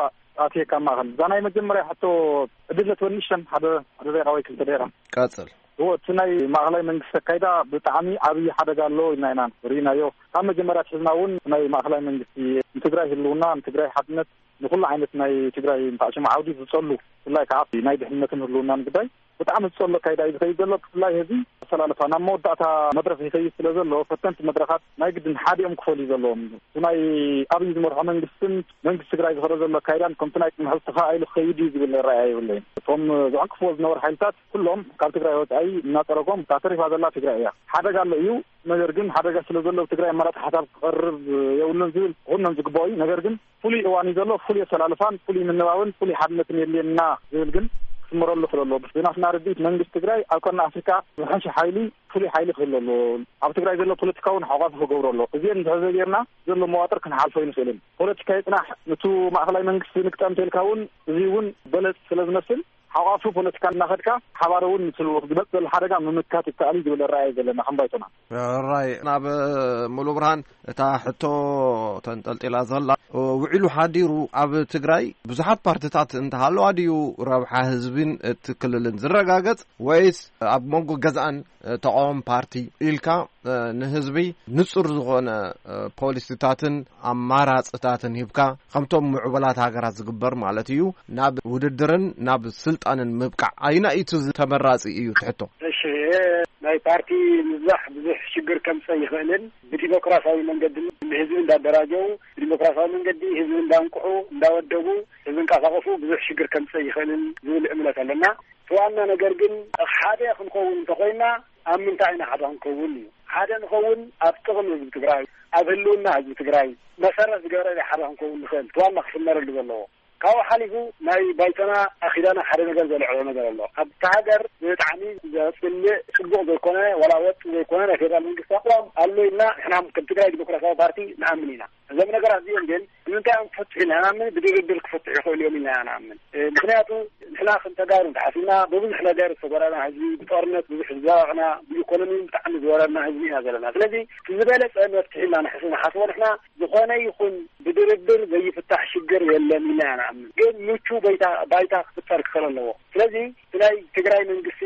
ኣትየካ ማኸል እዛ ናይ መጀመርያ ሕቶ ዕድለት ወንሸን ሓደ ሓደ ደቂቃ ወይ ክልተ ደቂቃ። ቀጽል። እዎ፣ እቲ ናይ ማእኸላይ መንግስቲ ኣካይዳ ብጣዕሚ ዓብዪ ሓደጋ ኣለዎ ኢልና ኢና ርኢናዮ። ካብ መጀመርያ ትሕዝና እውን ናይ ማእኸላይ መንግስቲ ንትግራይ ህልውና፣ ንትግራይ ሓድነት፣ ንኩሉ ዓይነት ናይ ትግራይ ንታዕሽም ዓውዲ ዝጸሉ፣ ብፍላይ ከዓ ናይ ድሕንነትን ህልውናን ጉዳይ ብጣዕሚ ዝጸሎ ኣካይዳ እዩ ዝኸይድ ዘሎ። ብፍላይ ህዚ ኣሰላልፋ ናብ መወዳእታ መድረኽ ይኸይድ ስለ ዘሎ፣ ፈተንቲ መድረኻት ናይ ግድን ሓዲኦም ክፈልዩ ዘለዎም እዩ። እቲ ናይ ኣብይ ዝመርሖ መንግስትን መንግስቲ ትግራይ ዝኸዶ ዘሎ ኣካይዳን ከምቲ ናይ ቅድሚ ሕዚ ተኸኣኢሉ ክኸይድ እዩ ዝብል ራእይ የብለይን። እቶም ዝዕንቅፍዎ ዝነበሩ ሓይልታት ኩሎም ካብ ትግራይ ወፃኢ እናፀረጎም እታ ተሪፋ ዘላ ትግራይ እያ። ሓደጋ ኣሎ እዩ። ነገር ግን ሓደጋ ስለ ዘሎ ትግራይ ኣማራፂ ሓሳብ ክቐርብ የብሉን ዝብል ኩሎም ዝግባኦ እዩ። ነገር ግን ፍሉይ እዋን እዩ ዘሎ። ፍሉይ ኣሰላልፋን ፍሉይ ምንባብን ፍሉይ ሓድነትን የድልየና ዝብል ግን ክስመረሉ ክለሎ ብናትና ርድኢት መንግስቲ ትግራይ ኣብ ቀርኒ ኣፍሪካ ዝሐሸ ሓይሊ ፍሉይ ሓይሊ ክህሉ ኣለዎ። ኣብ ትግራይ ዘሎ ፖለቲካ እውን ሓቋፊ ክገብሮ ኣለዎ። እዚአን እንድሕር ዘይጌርና ዘሎ መዋጥር ክንሓልፎ ኣይንኽእልን። ፖለቲካ ይፅናሕ፣ ንቱ ማእኸላይ መንግስቲ ንግጠም እንተልካ እውን እዚ እውን በለፅ ስለ ዝመስል ሓቋፊ ፖለቲካ እናኸድካ ሓባር እውን ንስሉ ዝመፅ ዘሎ ሓደጋ ምምካት ይከኣል እዩ ዝብል ራእይ ዘለና ከም ባይቶና። ራይ ናብ ሙሉ ብርሃን እታ ሕቶ ተንጠልጢላ ዘላ ውዒሉ ሓዲሩ ኣብ ትግራይ ብዙሓት ፓርቲታት እንተሃለዋ ድዩ ረብሓ ህዝብን እቲ ክልልን ዝረጋገጽ ወይስ ኣብ መንጎ ገዛእን ተቃዋሚ ፓርቲ ኢልካ ንህዝቢ ንጹር ዝኾነ ፖሊሲታትን ኣማራጽታትን ሂብካ ከምቶም ምዕቡላት ሃገራት ዝግበር ማለት እዩ ናብ ውድድርን ናብ ስልጣንን ምብቃዕ ኣይና እዩ ተመራጺ እዩ ትሕቶ። እሺ፣ ናይ ፓርቲ ምብዛሕ ብዙሕ ሽግር ከምፀእ ይኽእልን ብዲሞክራሲያዊ መንገዲ ንህዝቢ እንዳደራጀው ብዲሞክራሲያዊ መንገዲ ህዝቢ እንዳንቅሑ እንዳወደቡ ዝንቀሳቀሱ ብዙሕ ሽግር ከምፀእ ይኽእልን ዝብል እምነት ኣለና። እቲ ዋና ነገር ግን ሓደ ክንኸውን እንተኮይና ኣብ ምንታይ ኢና ሓደ ክንከውን እዩ። ሓደ ንኸውን ኣብ ጥቕሚ ህዝቢ ትግራይ፣ ኣብ ህልውና ህዝቢ ትግራይ መሰረት ዝገበረ ሓደ ክንከውን ንኽእል እቲ ዋና ክስመረሉ ዘለዎ። ካብኡ ሓሊፉ ናይ ባይቶና ኣኺዳና ሓደ ነገር ዘልዕሎ ነገር ኣሎ። ኣብቲ ሃገር ብጣዕሚ ዘፅልእ ፅቡቕ ዘይኮነ ዋላ ወጥ ዘይኮነ ናይ ፌደራል መንግስቲ ኣቋም ኣሎ ኢልና ንሕና ከም ትግራይ ዲሞክራሲያዊ ፓርቲ ንኣምን ኢና። እዞም ነገራት እዚኦም ግን ንምንታይ እዮም ክፈትሑ ኢልና ንኣምን፣ ብድርድር ክፈትሑ ይኽእሉ እዮም ኢልና ንኣምን። ምክንያቱ ንሕና ከም ተጋሩ እንተሓሲብና ብብዙሕ ነገር ዝተጎዳና ህዝቢ፣ ብጦርነት ብዙሕ ዝዘረቕና፣ ብኢኮኖሚ ብጣዕሚ ዝወረድና ህዝቢ ኢና ዘለና። ስለዚ እቲ ዝበለፀ መፍትሒ ኢልና ንሕስ ንሓስቦ ንሕና ዝኾነ ይኹን ብድርድር ዘይፍታሕ ሽግር የለን ኢልና ኢና ንኣምን። ግን ምቹ ባይታ ክፍጠር ክኽእል ኣለዎ። ስለዚ እቲ ናይ ትግራይ መንግስቲ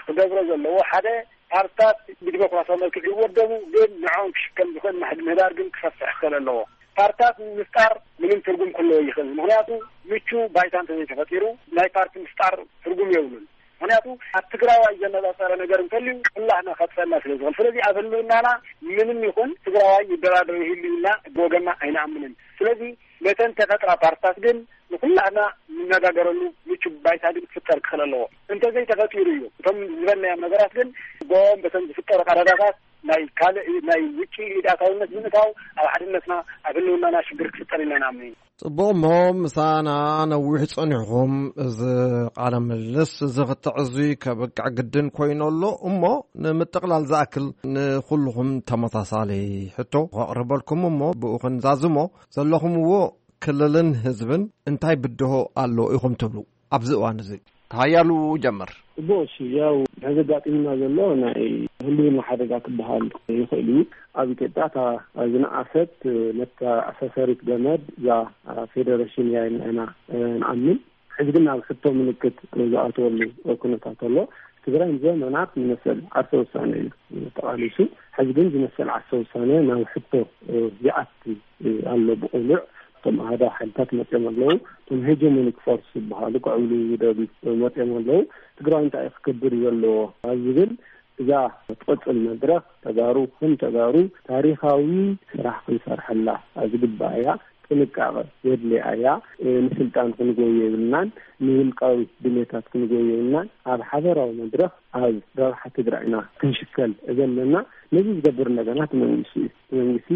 ክገብሮ ዘለዎ ሓደ ፓርትታት ብዲሞክራሲያዊ መልክዕ ይወደቡ፣ ግን ንዕኦም ክሽከም ዝኽእል ማሕድ ምህዳር ግን ክሰፍሕ ክኽእል ኣለዎ። ፓርትታት ምፍጣር ምንም ትርጉም ክህልዎ ይኽእል። ምክንያቱ ምቹ ባይታ እንተዘይተፈጢሩ ናይ ፓርቲ ምፍጣር ትርጉም የብሉን። ምክንያቱ ኣብ ትግራዋይ ዘነፃፀረ ነገር እንተልዩ ኩላህና ከጥፈና ስለ ዝኽእል። ስለዚ ኣብ ህልውናና ምንም ይኹን ትግራዋይ ይደራደር ይህሉ ኢልና ብወገና ኣይንኣምንን። ስለዚ ነተን ተፈጥራ ፓርትታት ግን ንኩላህና ንነጋገረሉ ምቹ ባይታ ግን ክፍጠር ክኽእል ኣለዎ። እንተዘይተፈጢሩ እዩ እቶም ዝበልናዮም ነገራት ግን ጎም በተን ዝፍጠሩ ቀረዳታት ናይ ካልእ ናይ ውጭ ኢዳታውነት ብምእታው ኣብ ሓድነትና ኣብ ህልውናና ሽግር ክፍጠር ኢልና ንኣምን ኢና። ጽቡቕ እሞ ምሳና ነዊሕ ጸኒሕኹም እዚ ቃለ ምልልስ እዚ ክትዕዙ ከብቅዕ ግድን ኮይኑ ኣሎ እሞ ንምጥቕላል ዝኣክል ንኹልኹም ተመሳሳሊ ሕቶ ከቕርበልኩም እሞ ብኡ ክንዛዝሞ ዘለኹምዎ ክልልን ህዝብን እንታይ ብድሆ ኣሎ ኢኹም ትብሉ ኣብዚ እዋን እዚ? ሃያሉ ጀምር። ጽቡቕ፣ እሺ፣ ያው ዘጋጢምና ዘሎ ናይ ህልውና ሓደጋ ክበሃል ይኽእል እዩ። ኣብ ኢትዮጵያ እታ ዝነኣሰት መተኣሳሰሪት ገመድ እዛ ፌደሬሽን እያ ኢልና ኢና ንኣምን። ሕዚ ግን ናብ ሕቶ ምልክት ዝኣተወሉ ኩነታት ኣሎ። ትግራይ ንዘመናት ንመሰል ዓርሰ ውሳነ እዩ ተቓሊሱ። ሕዚ ግን ዝመሰል ዓርሰ ውሳነ ናብ ሕቶ ይኣቲ ኣሎ። ብቕሉዕ እቶም ኣሃዳዊ ሓይልታት መፅኦም ኣለዉ። እቶም ሄጀሞኒክ ፎርስ ዝበሃሉ ክዕብሉ ዝደልዩ መፅኦም ኣለዉ። ትግራይ እንታይ እዩ ክገብር ዘለዎ ኣብ ዝብል እዛ ትቕፅል መድረኽ ተጋሩ ከም ተጋሩ ታሪኻዊ ስራሕ ክንሰርሐላ ዝግባእ እያ። ጥንቃቐ የድልያ እያ። ንስልጣን ክንጎዮ የብልናን፣ ንውልቃዊ ድሌታት ክንጎዮ የብልናን። ኣብ ሓበራዊ መድረኽ ኣብ ረብሓ ትግራይና ክንሽከል ዘለና። ነዚ ዝገብር እንደገና እቲ መንግስቲ እዩ። እቲ መንግስቲ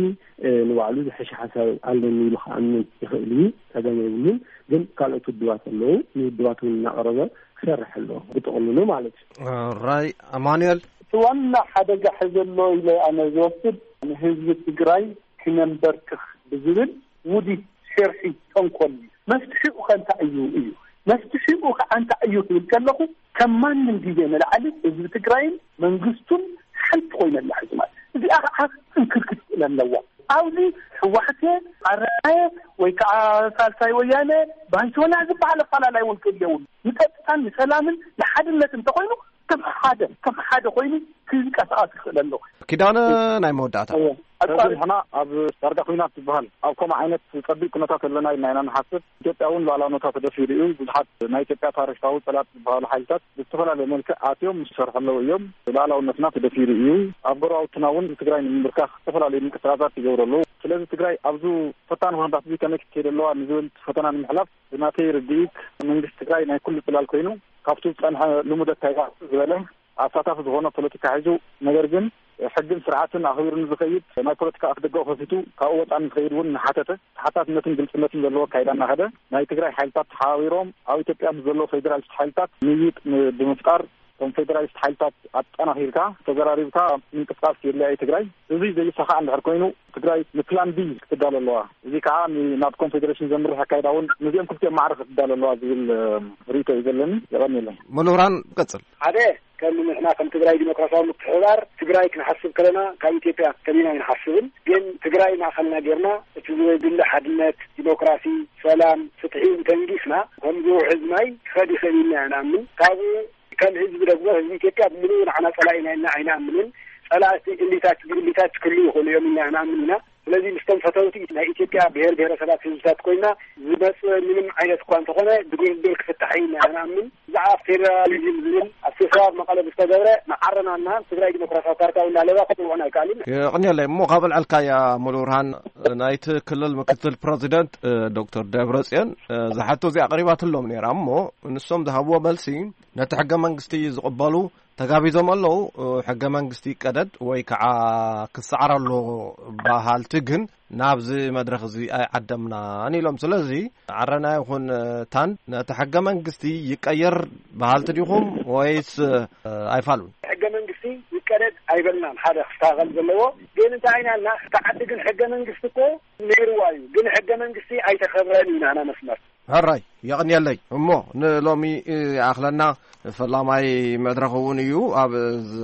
ንባዕሉ ዝሐሸ ሓሳብ ኣለኒ ኢሉ ክኣምን ይኽእል እዩ፣ ጸገም የብሉን። ግን ካልኦት ውድባት ኣለዉ፣ ንውድባት እውን እናቕረበ ክሰርሕ ኣለዎ፣ ብጥቕልሉ ማለት እዩ። ራይ ኣማኑኤል። እቲ ዋና ሓደጋ ሕዚ ኣሎ ኢለ ኣነ ዝወስድ ንህዝቢ ትግራይ ክነንበርክኽ ብዝብል ውዲት ሽርሒ ተንኮል እዩ። መፍትሒኡ ከ እንታይ እዩ? እዩ መፍትሒኡ ከዓ እንታይ እዩ ክብል ከለኹ፣ ከም ማንም ግዜ ንላዕሊ ህዝቢ ትግራይን መንግስቱን ኮይነ ኣላ ሕዚ ማለት እዚኣ ከዓ እንክርክት ኣለዋ። ኣብዚ ህወሓት ኣረናየ ወይ ከዓ ሳልሳይ ወያነ ባይቶና ዝበሃል ኣፈላላይ እውን ክእል የብሉ። ንፀጥታን ንሰላምን ንሓድነት እንተኮይኑ ከም ሓደ ከም ሓደ ኮይኑ ክንቀሳቀስ ይኽእል ኣሎ። ኪዳነ፣ ናይ መወዳእታ። እወ። ኣጻሪ ሕና ኣብ ዳርጋ ኩናት ዝበሃል ኣብ ከምኡ ዓይነት ጸቢብ ኩነታት ኣለና ኢልና ኢና ንሓስብ። ኢትዮጵያ እውን ሉዓላውነታ ተደፊሩ እዩ። ብዙሓት ናይ ኢትዮጵያ ታሪኻዊ ጸላእቲ ዝበሃሉ ሓይልታት ብዝተፈላለየ መልክዕ ኣትዮም ዝሰርሑ ኣለዉ እዮም። ሉዓላውነትና ተደፊሩ እዩ። ኣብ ጎረባብትና እውን ትግራይ ንምንብርካኽ ዝተፈላለዩ ምንቅስቃሳት ይገብሩ ኣለዉ። ስለዚ ትግራይ ኣብዚ ፈታኒ ኩነታት እዚ ከመይ ክትከይድ ኣለዋ ንዝብል ፈተና ንምሕላፍ ብናተይ ርድኢት መንግስቲ ትግራይ ናይ ኩሉ ጽላል ኮይኑ ካብቲ ዝጸንሐ ልሙድ ኣካይዳ ዝበለ ኣሳታፊ ዝኾነ ፖለቲካ ሒዙ፣ ነገር ግን ሕግን ስርዓትን ኣኽቢሩ ንዝኸይድ ናይ ፖለቲካ ኣፍደገኡ ከፊቱ ካብኡ ወጻኢ ንዝኸይድ እውን እናሓተተ ተሓታትነትን ግልጽነትን ዘለዎ ኣካይዳ እናኸደ ናይ ትግራይ ሓይልታት ተሓባቢሮም ኣብ ኢትዮጵያ ምስ ዘለዉ ፌዴራሊስት ሓይልታት ምይይጥ ን-፣ ብምፍጣር እቶም ፌዴራሊስት ሓይልታት ኣጠናኺርካ ተዘራሪብካ ምንቅስቃስ የድልያ እዩ ትግራይ። እዚ ዘይሳኻዕ እንድሕር ኮይኑ ትግራይ ንፕላን ቢ ክትዳሎ ኣለዋ። እዚ ከዓ ን-፣ ናብ ኮንፌዴሬሽን ዘምርሕ ኣካይዳ እውን ነዚኦም ክልቲኦም ማዕረ ክትዳሎ ኣለዋ ዝብል፣ እ፣ ርኢቶ እዩ ዘለኒ። የቐንየለይ። ሙሉ ብርሃን፣ ቀጽል። ሓደ፣ ከም ንሕና ከም ትግራይ ዲሞክራሲያዊ ምትሕብባር ትግራይ ክንሓስብ ከለና ካብ ኢትዮጵያ ከቢና ኣይንሓስብን። ግን ትግራይ ማእኸልና ጌርና እቲ ዝድለ ሓድነት፣ ዲሞክራሲ፣ ሰላም፣ ፍትሒ እንተንጊስና ከምዚ ውሕዝ ማይ ክኸድ ይኽእል ኢልና ኢና ንኣምን። ካብኡ ከም ህዝቢ ደግሞ ህዝቢ ኢትዮጵያ ብምሉኡ ንዓና ጸላኢና ኢልና ኣይንኣምንን። ጸላእቲ እሊታት ብእሊታት ክህልዉ ይኽእሉ እዮም ኢልና ንኣምን ኢና። ስለዚ ምስቶም ፈተውቲ ናይ ኢትዮጵያ ብሔር ብሔረሰባት ህዝብታት ኮይና ዝመጽእ ምንም ዓይነት እኳ እንተኾነ ብድርድር ክፍታሕ እዩ ኢና ንኣምን። ብዛዕባ ፌደራሊዝም ዝብል ኣብ ስብሰባ ኣብ መቐለ ዝተገብረ ንዓረናና ትግራይ ዲሞክራሲያዊ ፓርቲ እውን እናለባ ክጽውዑን ኣይከኣልን። የቕንየለይ እሞ ካብ ኣልዓልካያ ሙሉ ብርሃን ናይቲ ክልል ምክትል ፕረዚደንት እ፣ ዶክተር ደብረጽዮን እ፣ ዝሓቶ እዚኣ ኣቕሪባትሎም ነይራ እሞ ንሶም ዝሃብዎ መልሲ ነቲ ሕገ መንግስቲ ዝቕበሉ ተጋቢዞም ኣለዉ። ሕገ መንግስቲ ይቀደድ ወይ ከዓ ክሰዓር ኣለዎ በሃልቲ ግን ናብዚ መድረኽ እዚ ኣይዓደምናን ኢሎም። ስለዚ ዓረና ይኹን ታን ነቲ ሕገ መንግስቲ ይቀየር በሃልቲ ዲኹም ወይስ ኣይፋሉን? ሕገ መንግስቲ ይቀደድ ኣይበልናን። ሓደ ክስተኻኸል ዘለዎ ግን እንታይ ኢና ኢልና፣ እቲ ዓዲ ግን ሕገ መንግስቲ እኮ ነይርዋ እዩ፣ ግን ሕገ መንግስቲ ኣይተኸብረን ኢና መስመር። ሕራይ የቕንየለይ። እሞ ንሎሚ ይኣኽለና። ፈላማይ መድረኽ እውን እዩ። ኣብ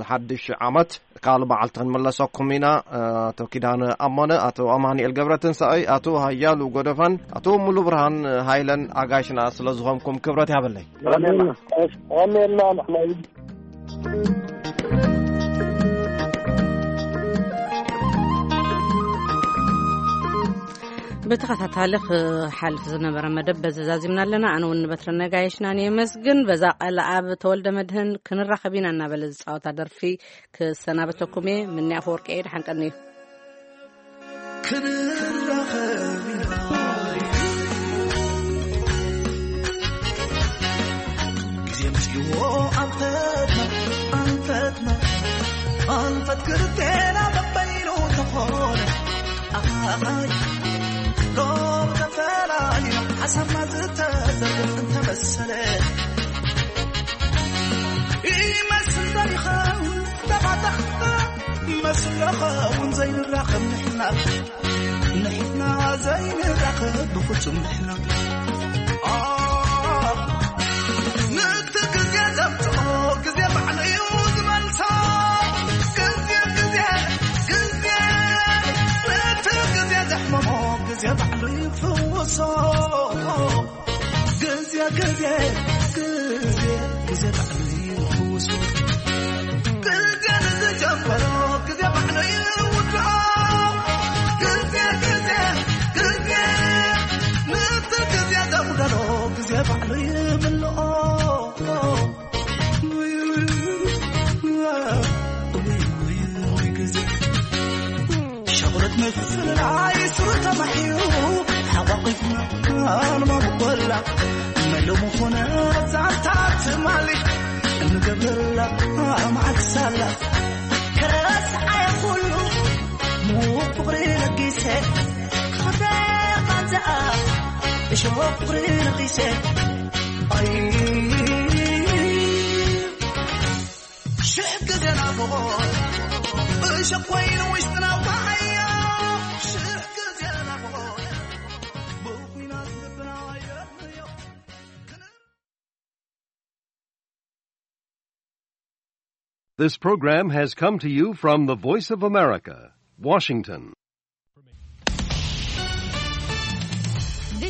ሓድሽ ዓመት ካልእ መዓልቲ ክንመለሰኩም ኢና። ኣቶ ኪዳነ ኣሞነ፣ ኣቶ ኣማኑኤል ገብረትንሳኤ፣ ኣቶ ሃያሉ ጎደፋን ኣቶ ሙሉ ብርሃን ሃይለን ኣጋይሽና ስለ ዝኾንኩም ክብረት ይሃበለይ። የቐንየልና። የቐንየልና ንሕና እውን። ብተኸታታሊ ክሓልፍ ዝነበረ መደብ በዚ ዛዚምና ኣለና። ኣነ እውን ንበትረ ነጋይሽናን የመስግን። በዛ ቃል ኣብ ተወልደ መድህን ክንራኸብ ኢና እናበለ ዝፃወታ ደርፊ ክሰናበተኩም እየ። ምኒ ኣፈወርቂ እየ። ደሓን ቀንዩ። ክንራኸብ ኢና። ግዜ ምስዎ ኣንፈትና፣ ኣንፈትና፣ ኣንፈት ክልቴና በበይኑ ተኾነ። ኣሃሃይ፣ ሎም ተፈላሊና፣ ሓሳብና ዝተዘርግሕ እንተመሰለ። ይመስል ዶ ይኸውን ተባታኽና፣ መስሎ ኸውን ዘይንራኸብ ንሕና። ንሕና ዘይንራኸብ ብፍጹም ንሕና። ኣ፣ ነቲ ግዜ ዘምጽኦ ግዜ ባዕሉ እዩ ዝመልሶ። ግዜ፣ ግዜ፣ ግዜ፣ ነቲ ግዜ ዘሕመሞ ግዜ ባዕሉ ይፍውሶ። ግዜ፣ ግዜ፣ ግዜ፣ ግዜ ባዕሉ ይፍውሶ። ግዜ ንዝጀመሮ ግዜ ባዕሉ ይውድኦ። ግዜ፣ ግዜ፣ ግዜ፣ ነቲ ግዜ ዘጉደሎ ግዜ ባዕሉ ይምልኦ። ውይ፣ ውይ፣ ውይ፣ ውይ፣ ግዜ። ሸቑለት ምፍልላይ ስሩ ተማሒሩ ሓቋቒፍና ንመበቆላ መለሙ ኾነ ዛንታ ትማሊ እንገብረላ መዓልቲ ሳላ ከረስዓየ ኩሉ ምዉቕ ፍቕሪ ለጊሰ ክኽብረ ቃንዛኣ እሾኽ ፍቕሪ ነኺሰ ኣይ ሽሕ ግዜ ናፍቖት እሾኽ ኮይኑ ውሽጥና ወዓዮ። ሽሕ ግዜ ናፍቖት ብኹናት ልብና ወዓዮ። This program has come to you from the Voice of America, Washington.